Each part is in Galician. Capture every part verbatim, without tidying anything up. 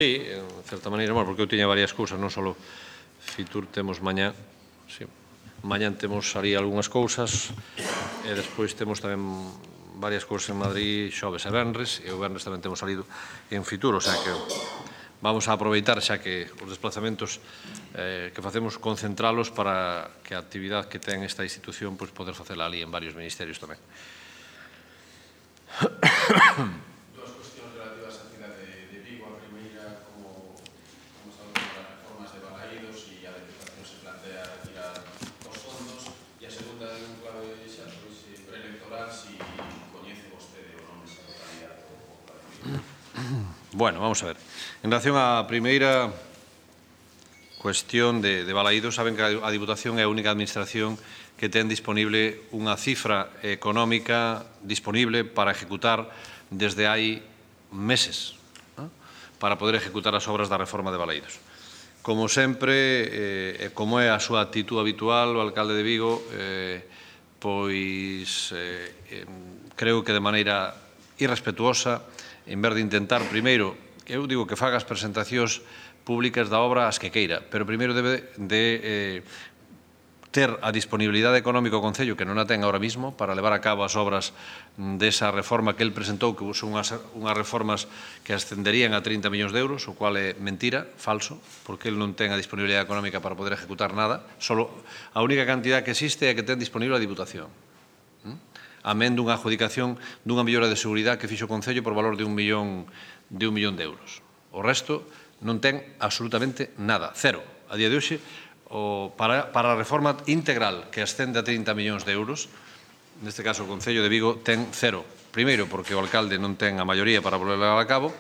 Sí, en certa maneira, bueno, porque eu tiña varias cousas, non só Fitur temos mañá, sí, mañá temos ali algunhas cousas e despois temos tamén varias cousas en Madrid xoves e venres e o venres tamén temos salido en Fitur, o sea que vamos a aproveitar xa que os desplazamentos eh, que facemos concentralos para que a actividade que ten esta institución pois poder facela ali en varios ministerios tamén. Dúas cuestións relativas á cidade de Vigo. A primeira, como estamos falando das reformas de Balaídos e a Deputación se plantea retirar os fondos, e a segunda, en clave xa preelectoral, si coñece vostede o nome desa localidade ou plan. Bueno, vamos a ver. En relación á primeira cuestión de, de Balaídos, saben que a Diputación é a única administración que ten disponible unha cifra económica disponible para ejecutar desde hai meses, ¿no?, para poder ejecutar as obras da reforma de Balaídos. Como sempre, eh, como é a súa actitud habitual, o alcalde de Vigo, eh, pois eh, eh, creo que de maneira irrespetuosa, en vez de intentar, primeiro, eu digo que faga as presentacións públicas da obra as que queira, pero primeiro debe de eh, ter a disponibilidade económica o Concello, que non a ten ahora mismo, para levar a cabo as obras desa reforma que el presentou, que son unhas, unhas reformas que ascenderían a trinta millóns de euros, o cual é mentira, falso, porque el non ten a disponibilidade económica para poder ejecutar nada. Solo a única cantidad que existe é a que ten disponible a Diputación. Amén dunha adjudicación dunha mellora de seguridade que fixo o Concello por valor de un millón de un millón de euros. O resto non ten absolutamente nada, cero. A día de hoxe, o, para, para a reforma integral que ascende a trinta millóns de euros, neste caso o Concello de Vigo ten cero. Primeiro, porque o alcalde non ten a maioría para volver a cabo.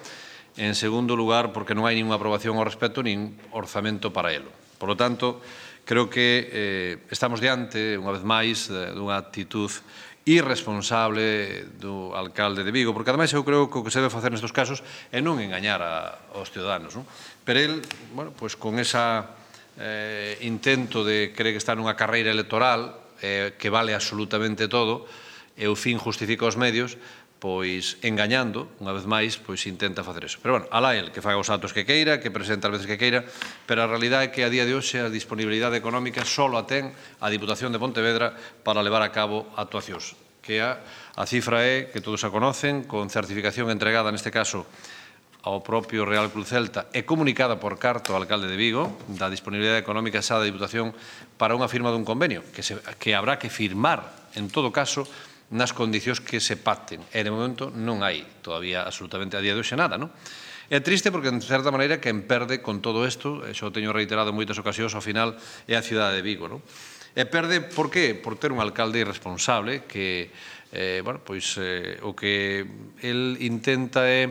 En segundo lugar, porque non hai ninguna aprobación ao respecto, nin orzamento para elo. Por lo tanto, creo que eh, estamos diante, unha vez máis, dunha actitud irresponsable do alcalde de Vigo, porque ademais eu creo que o que se debe facer nestes casos é non engañar a, aos ciudadanos, non? Pero el, bueno, pois con esa eh, intento de creer que está nunha carreira electoral eh, que vale absolutamente todo e o fin justifica os medios, pois engañando, unha vez máis, pois intenta facer eso. Pero, bueno, alá el, que faga os atos que queira, que presente as veces que queira, pero a realidade é que a día de hoxe a disponibilidade económica só a ten a Diputación de Pontevedra para levar a cabo actuacións, que a, a cifra é, que todos a conocen, con certificación entregada, neste caso, ao propio Real Club Celta e comunicada por carta ao alcalde de Vigo, da disponibilidade económica xa da Diputación para unha firma dun convenio, que, se, que habrá que firmar, en todo caso, nas condicións que se pacten. E, de momento, non hai todavía absolutamente a día de hoxe nada, non? É triste porque, en certa maneira, quen perde con todo isto, e xa o teño reiterado en moitas ocasións, ao final é a cidade de Vigo, non? E perde, por qué? Por ter un alcalde irresponsable que, eh, bueno, pois, eh, o que el intenta é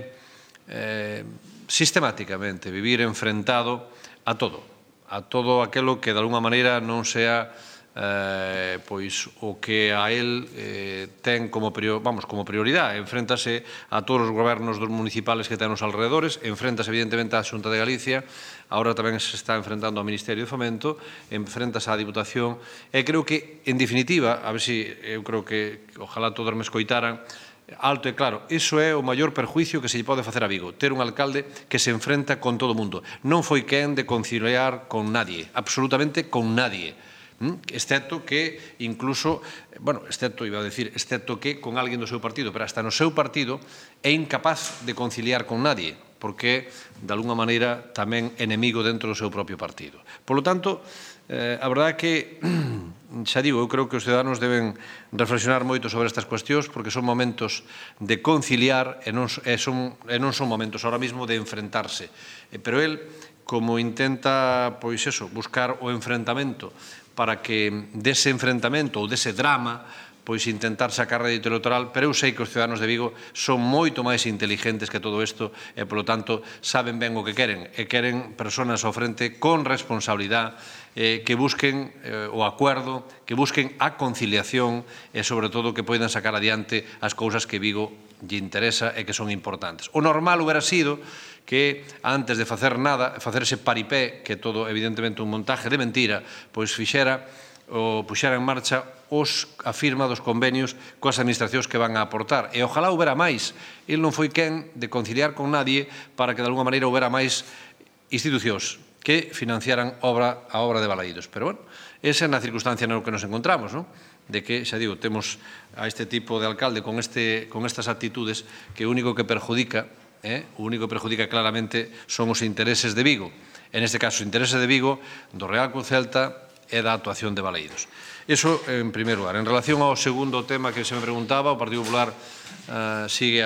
eh, sistemáticamente vivir enfrentado a todo, a todo aquilo que, de alguma maneira, non sea Eh, pois o que a él eh, ten como, prior, vamos, como prioridade. Enfréntase a todos os gobernos dos municipales que ten os alrededores, enfréntase evidentemente á Xunta de Galicia, agora tamén se está enfrentando ao Ministerio de Fomento, enfréntase á Diputación, e creo que, en definitiva, a ver se eu creo que ojalá todos me escoitaran, alto e claro, iso é o maior perjuicio que se lle pode facer a Vigo, ter un alcalde que se enfrenta con todo o mundo. Non foi quen de conciliar con nadie, absolutamente con nadie. Excepto que, incluso, bueno, excepto, iba a decir, excepto que con alguén do seu partido, pero hasta no seu partido é incapaz de conciliar con nadie, porque, de alguna maneira, tamén enemigo dentro do seu propio partido. Por lo tanto, eh, a verdade é que, xa digo, eu creo que os ciudadanos deben reflexionar moito sobre estas cuestións, porque son momentos de conciliar e non, e son, e non son momentos ahora mismo de enfrentarse. Pero el, como intenta, pois eso, buscar o enfrentamento para que dese enfrentamento ou dese drama pois intentar sacar rédito electoral, pero eu sei que os ciudadanos de Vigo son moito máis inteligentes que todo isto e, polo tanto, saben ben o que queren, e queren persoas ao frente con responsabilidade, eh, que busquen eh, o acuerdo, que busquen a conciliación e, sobre todo, que poidan sacar adiante as cousas que Vigo lle interesa e que son importantes. O normal hubiera sido que, antes de facer nada, facer ese paripé, que todo, evidentemente, un montaje de mentira, pois fixera o puxera en marcha os, a firma dos convenios coas administracións que van a aportar. E ojalá houbera máis. El non foi quen de conciliar con nadie para que de alguma maneira houbera máis institucións que financiaran obra, a obra de Balaídos. Pero, bueno, esa é na circunstancia no que nos encontramos, non? De que, xa digo, temos a este tipo de alcalde con, este, con estas actitudes que o único que perjudica, eh, o único que perjudica claramente son os intereses de Vigo. En este caso, os intereses de Vigo, do Real Cruz Celta e da actuación de Balaídos. Iso, en primeiro lugar. En relación ao segundo tema que se me preguntaba, o Partido Popular uh, sigue a